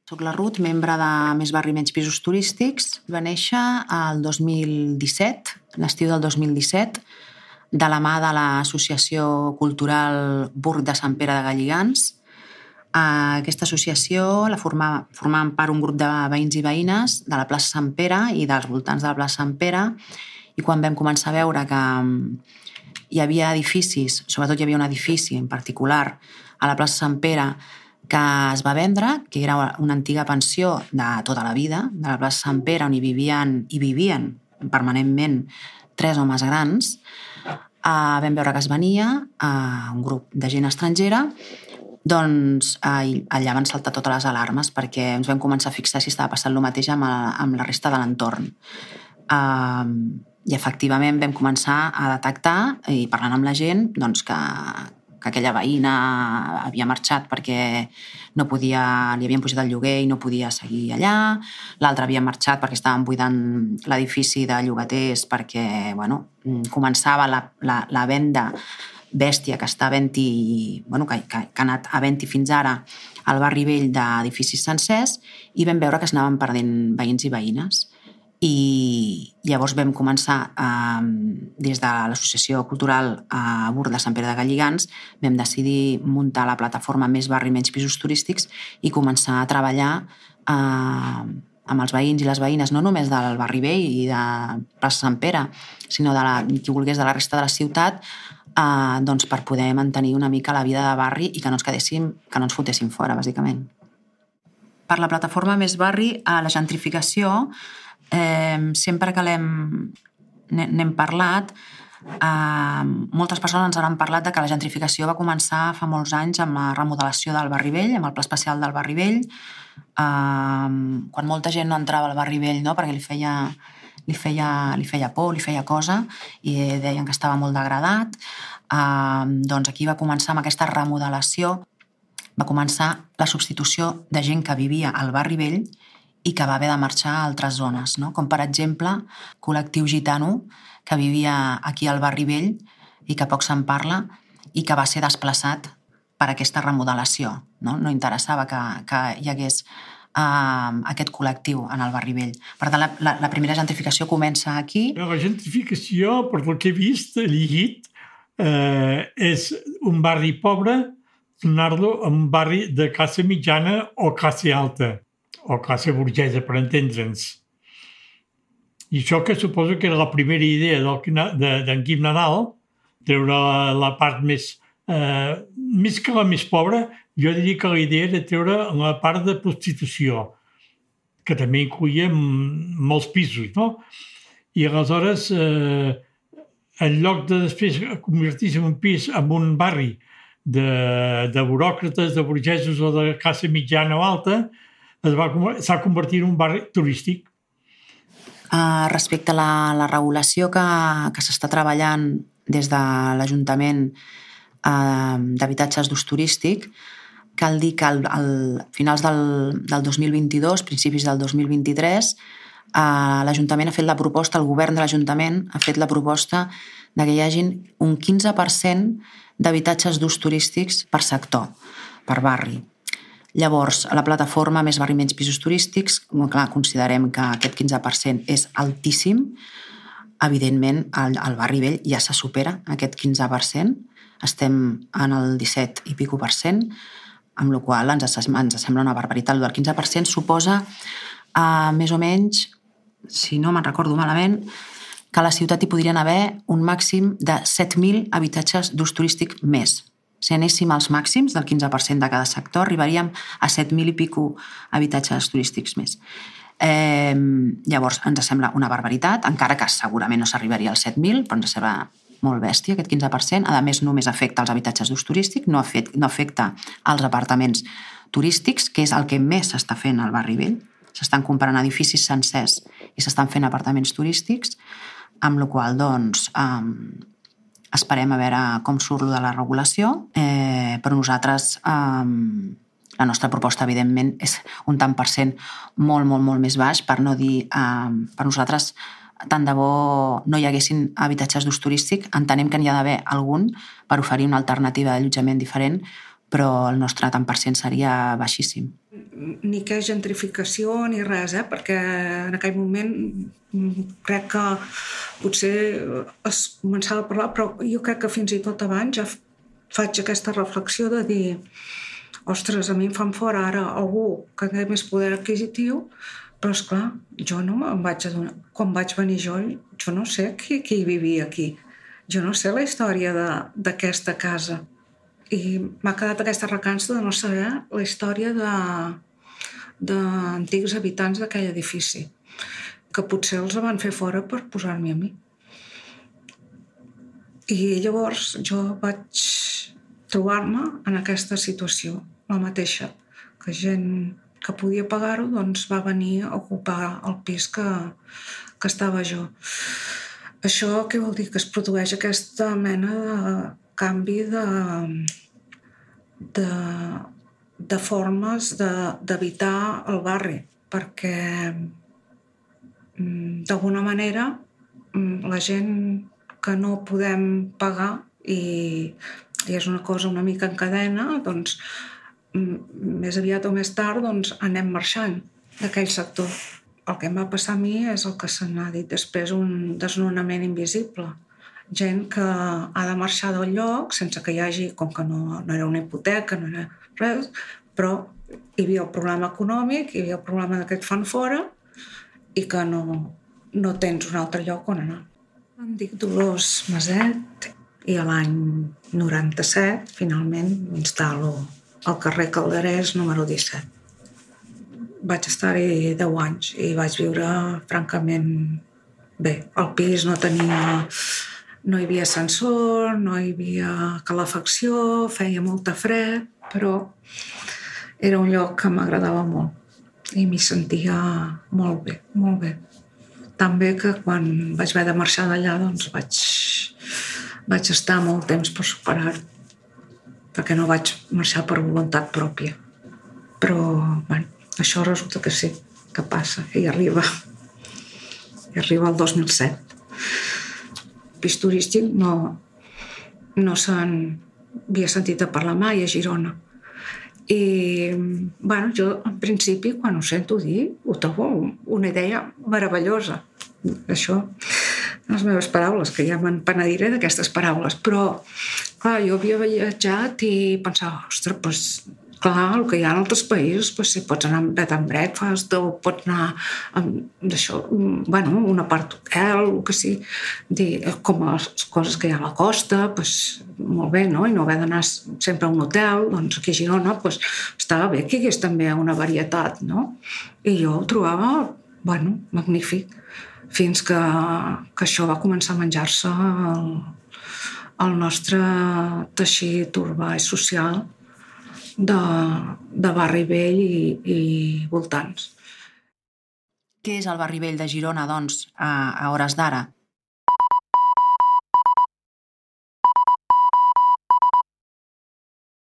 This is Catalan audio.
Soc la Ruth, membre de Més Barri Menys Pisos Turístics. Va néixer el 2017, l'estiu del 2017, de la mà de l'Associació Cultural Burg de Sant Pere de Galligants. Aquesta associació la formaven part un grup de veïns i veïnes de la plaça Sant Pere i dels voltants de la plaça Sant Pere, i quan vam començar a veure que hi havia edificis, sobretot hi havia un edifici en particular a la plaça Sant Pere que es va vendre, que era una antiga pensió de tota la vida, de la plaça Sant Pere, on hi vivien permanentment 3 homes grans. Vam veure que es venia un grup de gent estrangera, doncs allà van saltar totes les alarmes perquè ens vam començar a fixar si estava passant el mateix amb la resta de l'entorn. I efectivament vam començar a detectar, i parlant amb la gent, doncs que aquella veïna havia marxat perquè no podia, li havien pujat el lloguer i no podia seguir allà, l'altra havia marxat perquè estaven buidant l'edifici de llogaters perquè començava la venda bèstia que està havent-hi, que ha anat havent-hi fins ara al barri vell d'edificis sencers, i vam veure que es anaven perdent veïns i veïnes. I llavors vam començar, des de l'Associació Cultural Burg de Sant Pere de Galligants, vam decidir muntar la plataforma Més Barri Menys Pisos Turístics i començar a treballar amb els veïns i les veïnes, no només del barri vell i de plaça Sant Pere, sinó qui volgués de la resta de la ciutat, doncs per poder mantenir una mica la vida de barri i que no ens fotéssim fora, bàsicament. Per la plataforma Més Barri, la gentrificació, sempre que n'hem parlat, moltes persones ens han parlat de que la gentrificació va començar fa molts anys amb la remodelació del barri vell, amb el pla especial del barri vell, quan molta gent no entrava al barri vell, no? Perquè li feia por, li feia cosa, i deien que estava molt degradat. Doncs aquí va començar amb aquesta remodelació, va començar la substitució de gent que vivia al barri vell i que va haver de marxar a altres zones, no? Com per exemple col·lectiu gitano que vivia aquí al barri vell i que poc se'n parla i que va ser desplaçat per aquesta remodelació, no? No interessava que hi hagués aquest col·lectiu en el barri vell. Per tant, la primera gentrificació comença aquí. La gentrificació, per el que he vist, he llegit, és un barri pobre donar-lo a un barri de classe mitjana o classe alta, o classe burgesa, per entendre'ns. I això que suposo que era la primera idea d'en Guim Nadal, treure la part més que la més pobra, jo diria que la idea era treure la part de prostitució, que també incloïa molts pisos, no? I aleshores, en lloc de després convertir-se en un pis en un barri de buròcrates, de burgesos o de classe mitjana o alta, s'ha convertit en un barri turístic. Respecte a la regulació que s'està treballant des de l'Ajuntament d'habitatges d'ús turístic, cal dir que al finals del 2022, principis del 2023, l'Ajuntament ha fet la proposta, el govern de l'Ajuntament ha fet la proposta que hi hagin un 15% d'habitatges d'ús turístics per sector, per barri. Llavors, a la plataforma Més Barri Menys Pisos Turístics, clar, considerem que aquest 15% és altíssim. Evidentment, al barri vell ja se supera aquest 15%. Estem en el 17 i pico %, amb la qual cosa ens sembla una barbaritat. El del 15% suposa, més o menys, si no me'n recordo malament, que a la ciutat hi podrien haver un màxim de 7.000 habitatges d'ús turístic més. Si anéssim als màxims del 15% de cada sector, arribaríem a 7.000 i pico habitatges turístics més. Llavors, ens sembla una barbaritat, encara que segurament no s'arribaria als 7.000, però ens sembla molt bèstia, aquest 15%. A més, només afecta els habitatges d'ús turístic, no afecta els apartaments turístics, que és el que més s'està fent al barri vell. S'estan comprant edificis sencers i s'estan fent apartaments turístics, amb la qual cosa, doncs, esperem a veure com surt de la regulació, però nosaltres, la nostra proposta, evidentment, és un tant per cent molt, molt, molt més baix, per no dir, per nosaltres, tant de bo no hi haguessin habitatges d'ús turístic, entenem que n'hi ha d'haver algun per oferir una alternativa d'allotjament diferent, però el nostre tant per cent seria baixíssim. ni què és gentrificació ni res, perquè en aquell moment crec que potser es començava a parlar, però jo crec que fins i tot abans ja faig aquesta reflexió de dir ostres, a mi em fan fora ara algú que té més poder adquisitiu, però esclar, jo no em vaig adonar. Quan vaig venir jo no sé qui vivia aquí. Jo no sé la història d'aquesta casa. I m'ha quedat aquesta recança de no saber la història d'antics habitants d'aquell edifici, que potser els van fer fora per posar-m'hi a mi. I llavors jo vaig trobar-me en aquesta situació, la mateixa, que gent que podia pagar-ho doncs va venir a ocupar el pis que estava jo. Això què vol dir? Que es produeix aquesta mena de canvi de formes d'habitar el barri, perquè d'alguna manera la gent que no podem pagar i és una cosa una mica en cadena, doncs més aviat o més tard doncs, anem marxant d'aquell sector. El que em va passar a mi és el que se n'ha dit després, un desnonament invisible. Gent que ha de marxar del lloc sense que hi hagi, com que no era una hipoteca, no era res, però hi havia el problema econòmic, hi havia el problema que et fan fora i que no tens un altre lloc on anar. Em dic Dolors Maset i a l'any 97 finalment m'instal·lo al carrer Calderès número 17. Vaig estar-hi 10 anys i vaig viure francament bé. El pis no hi havia ascensor, no hi havia calefacció, feia molta fred, però era un lloc que m'agradava molt i m'hi sentia molt bé, molt bé. Tan bé que quan vaig haver de marxar d'allà doncs vaig estar molt temps per superar-ho, perquè no vaig marxar per voluntat pròpia. Però, bueno, això resulta que sí, que passa, i arriba. I arriba el 2007. Pis turístic no se'n havia sentit a parlar mai a Girona. I, bueno, jo, en principi, quan ho sento dir, ho trobo una idea meravellosa. Això, les meves paraules, que ja me'n penediré d'aquestes paraules, però, clar, jo havia viatjat i pensava, ostres, doncs, clar, el que hi ha en altres països, doncs, si pots anar a bed and breakfast o pots anar d'això, bueno, un apart hotel, el que sigui, com les coses que hi ha a la costa, doncs, molt bé, no? I no haver d'anar sempre a un hotel, doncs aquí a Girona, doncs, estava bé que hi hagués també una varietat, no? I jo ho trobava, bueno, magnífic, fins que això va començar a menjar-se el nostre teixit urbà i social de Barri Vell i voltants. Què és el Barri Vell de Girona, doncs, a hores d'ara?